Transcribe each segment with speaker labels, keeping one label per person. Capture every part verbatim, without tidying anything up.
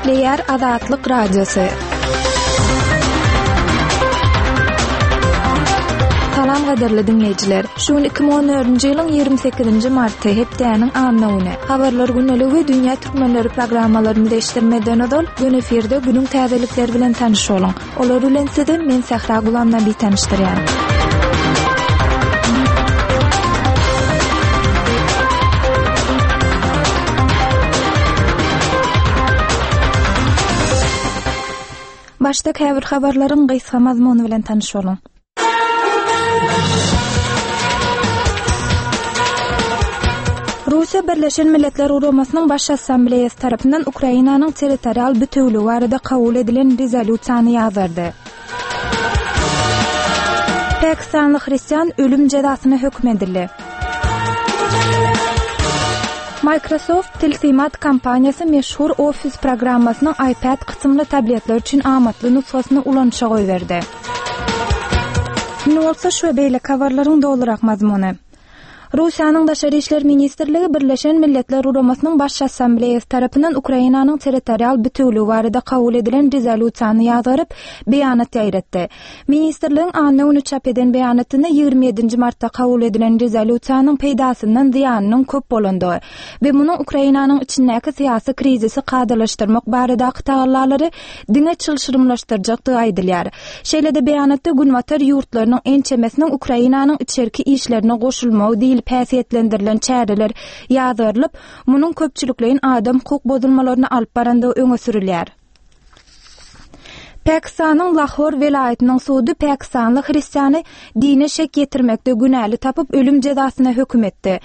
Speaker 1: Gepleýär Azatlyk Radiosy. Salam gadyrly diňleýjiler. Şu gün iki müň on dördünji ýylyň ýigrimi sekizinji marty, hepdäniň anna güni. Habarlar güneligi we Dünýä Türkmenleri programmalarymyzy eşitdirmeden ozal, gün efirde günüň täzelikleri bilen tanyş boluň. Olar bilen sizi men Sähra Gulamnabi tanyşdyrýan. Başda käbir habarlaryň gysga mazmuny bilen tanyş boluň. Russiýa Birleşen Milletler Guramasynyň Baş Assambleýasy tarapyndan Ukrainanyň territorial bütewligi barada kabul edilen rezolýusiýany ýazardy. Pakistanly hristian ölüm jezasyna höküm edildi. Microsoft tilsimat kompaniýasy meşhur Office programmasynyň iPad kysymly tabletler üçin amatly nusgasyny ulanyşa goýberdi. Indi bolsa şu we beýleki habarlaryň dolurak mazmuny. Russiýanyň Daşary işler ministrligi Birleşen Milletler Guramasynyň Baş Assambleýasy tarapyndan Ukrainanyň territorial bütewligi barada kabul edilen rezolýusiýany ýazgaryp, beýanat ýaýratdy. Ministrligiň anna güni çap eden beýanatynda ýigrimi ýedinji martda kabul edilen rezolýusiýanyň peýdasyndan zyýanynyň köp bolandygy we munuň Ukrainanyň içindäki syýasy krizisi kadalaşdyrmak baradaky tagallalary diňe çylşyrymlaşdyrjakdygy aýdylýar. Şeýle-de beýanatda Günbatar ýurtlarynyň ençemesiniň Ukrainanyň içerki işlerine goşulmagy diýlip häsiýetlendirilen çäreler ýazgarylyp, munuň köpçülikleýin adam hukuk bozulmalaryny alyp barandygy öňe sürülýär. Pakistanyň Lahor welaýatynyň sudy pakistanly hristiany dine şek ýetirmekde günäli tapyp ölüm jezasyna höküm etdi.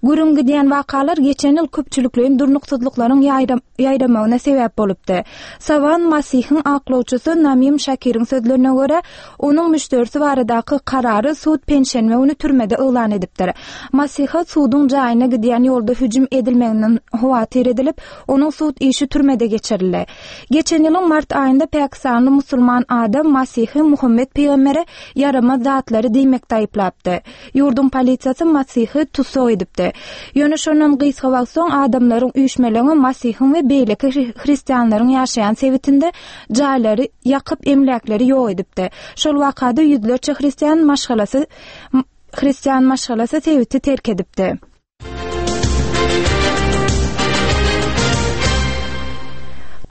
Speaker 1: Gürrüň gidýän wakalar geçen ýyl köpçülikleýin durnuksyzlyklaryň ýaýramagyna sebäp bolupdy. Sawan Masihiň aklawçysy Namim Şakiriň sözlerine görä, onuň müşderisi baradaky karary sud penşenbe güni türmede yglan edipdir. Masiha suduň jaýyna gidýän ýolda hüjüm edilmeginden howatyr edilip, onuň sud işi türmede geçirildi. Geçen ýylyň mart aýynda Pakistanly musulman adam Masihi Muhammed peýgambere ýaramaz zatlary diýmekde aýyplapdy. Ýurduň polisiýasy Masihi tussag edipdi. Ýöne şondan gysga wagt soň adamlaryň üýşmeleňi Masihiň we beýleki hristianlaryň ýaşaýan sebitinde jaýlary ýakyp emläkleri ýok edipdi. Şol wakada ýüzlerçe hristian maşgalasy hristian maşgalasy sebiti terk edipdi.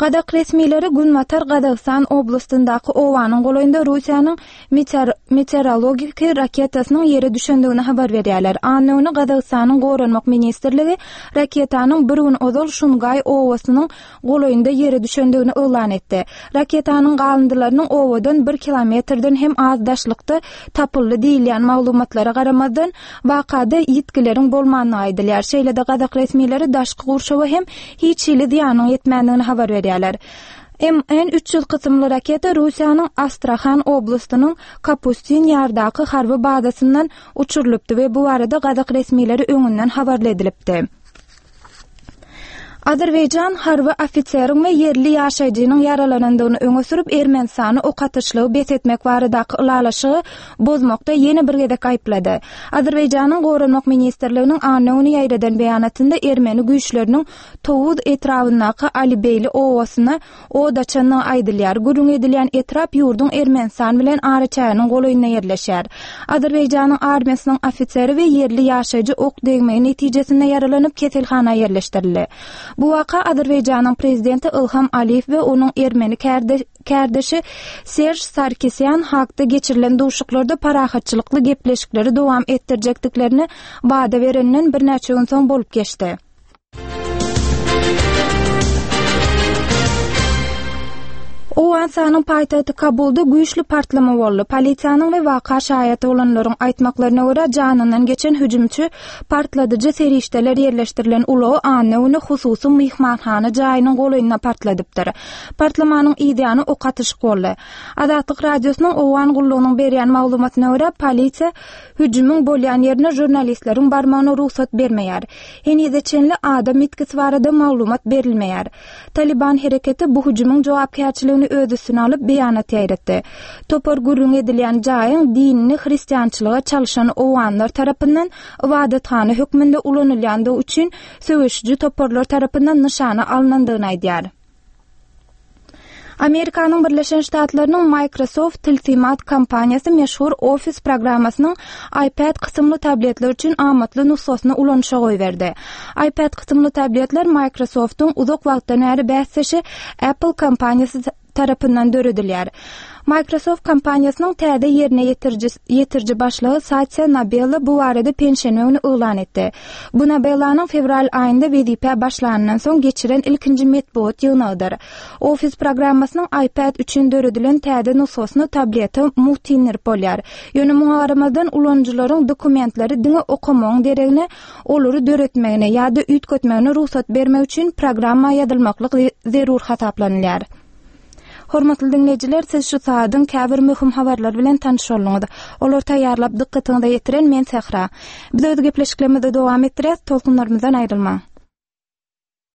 Speaker 1: Gazak resmileri Günbatar Gazagystan oblastyndaky Owanyň golaýynda Russiýanyň meteor-, meteorologiki raketasynyň ýere düşendigini habar berýärler. Anna güni Gazagystanyň Goranmak ministrligi raketanyň bir gün ozal Şungay owasynyň golaýynda ýere düşendigini yglan etdi. Raketanyň galyndylarynyň owadan bir kilometrden hem az daşlykda tapyldy diýilýän maglumatlara garamazdan wakada ýitgileriň bolmandygy aýdylýar. Şeýle-de Gazak resmileri daşky gurşawa hem hiç hili zyýanyň ýetmändigini habar berýärler. M N üç ýüz kysymly raketa Russiýanyň Astrahan oblastynyň Kapustin ýardaky harby bazasyndan uçurylypdy we bu barada Gazak resmileri öňünden habarly edilipdi. Azerbaýjan harby ofiseriň we ýerli ýaşaýjynyň ýaralanandygyny öňe sürüp, Ermenistany ok atyşlygy bes etmek baradaky ylalaşygy bozmakda ýene bir gezek aýyplady. Azerbaýjanyň Goranmak ministrliginiň anna güni ýaýradan beýanatynda Ermeni güýçleriniň Towuz etrabyndaky Alibeýli owasyna od açandygy aýdylýar. Gürrüň edilýän etrap ýurduň Ermenistan bilen araçäginiň golaýynda ýerleşýär. Azerbaýjanyň armiýasynyň ofiseri we ýerli ýaşaýjy ok degmegi netijesinde ýaralanyp keselhana ýerleşdirildi. Bu waka Azerbaýjanyň prezidenti Ilham Aliýew we onuň ermeni kärde-, kärdeşi Serj Sarkisyan hakda geçirilen duşuşyklarda parahatçylykly gepleşikleri dowam etdirjekdiklerini wada berenden birnäçe gün soň bolup geçdi. Owganystanyň paýtagty Kabulda güýçli partlama boldy. Polisiýanyň we waka şaýaty bolanlaryň aýtmaklaryna görä, janyndan geçen hüjümçi partladyjy serişdeler ýerleşdirilen ulagy anna güni hususy myhmanhana jaýynyň golaýynda partladypdyr. Partlamanyň ýany ok atyşyk boldy. Azatlyk Radiosynyň Owgan gullugynyň berýän maglumatyna görä, polisiýa hüjümiň bolýan ýerine žurnalistleriň barmagyna rugsat bermeýär. Henize çenli adam ýitgisi barada maglumat berilmeýär. Taliban hereketi bu hüjümiň jogapkärçiligini öz üstüne alyp beýanat ýaýratdy. Topar gürrüň edilýän jaýyň dinini hristiançylyga çalyşan owganlar tarapyndan ibadathana hökmünde ulanylýandygy üçin söweşiji toparlar tarapyndan nyşana alynandygyny aýdýar. Amerikanyň Birleşen Ştatlarynyň Microsoft tilsimat kompaniýasy meşhur Office programmasynyň iPad kysymly tabletler üçin amatly nusgasyny ulanyşa goýberdi. iPad kysymly tabletler Microsoftyň uzak wagtdan bäri bäsdeşi Apple kompaniýasy tarapyndan döredilýär. Microsoft kompaniýasynyň täze ýerine ýetiriji ýetiriji başlygy Satya Nadella bu barada penşenbe güni yglan etdi. Bu Nadellanyň fewral aýynda wezipä başlanyndan soň geçiren ilkinji metbugat ýygnagydyr. Office programmasynyň iPad üçin döredilen täze nusgasyny tablete mugt indirip bolýar. Ýöne muňa garamazdan ulanyjylaryň dokumentleri diňe okamagyň deregine olary döretmegine ýa-da üýtgetmegine rugsat bermek üçin programma ýazylmaklyk zerur hasaplanylýar. Hormatly dinleýjiler, siz şu saadyň käbir möhüm habarlar bilen tanyş bolduňyz. Olar taýýarlap dykgatyňyza ýetiren men Sähra. Biz öz gepleşiklerimizi dowam etdirýäs, tolkunlarymyzdan aýrylmaň.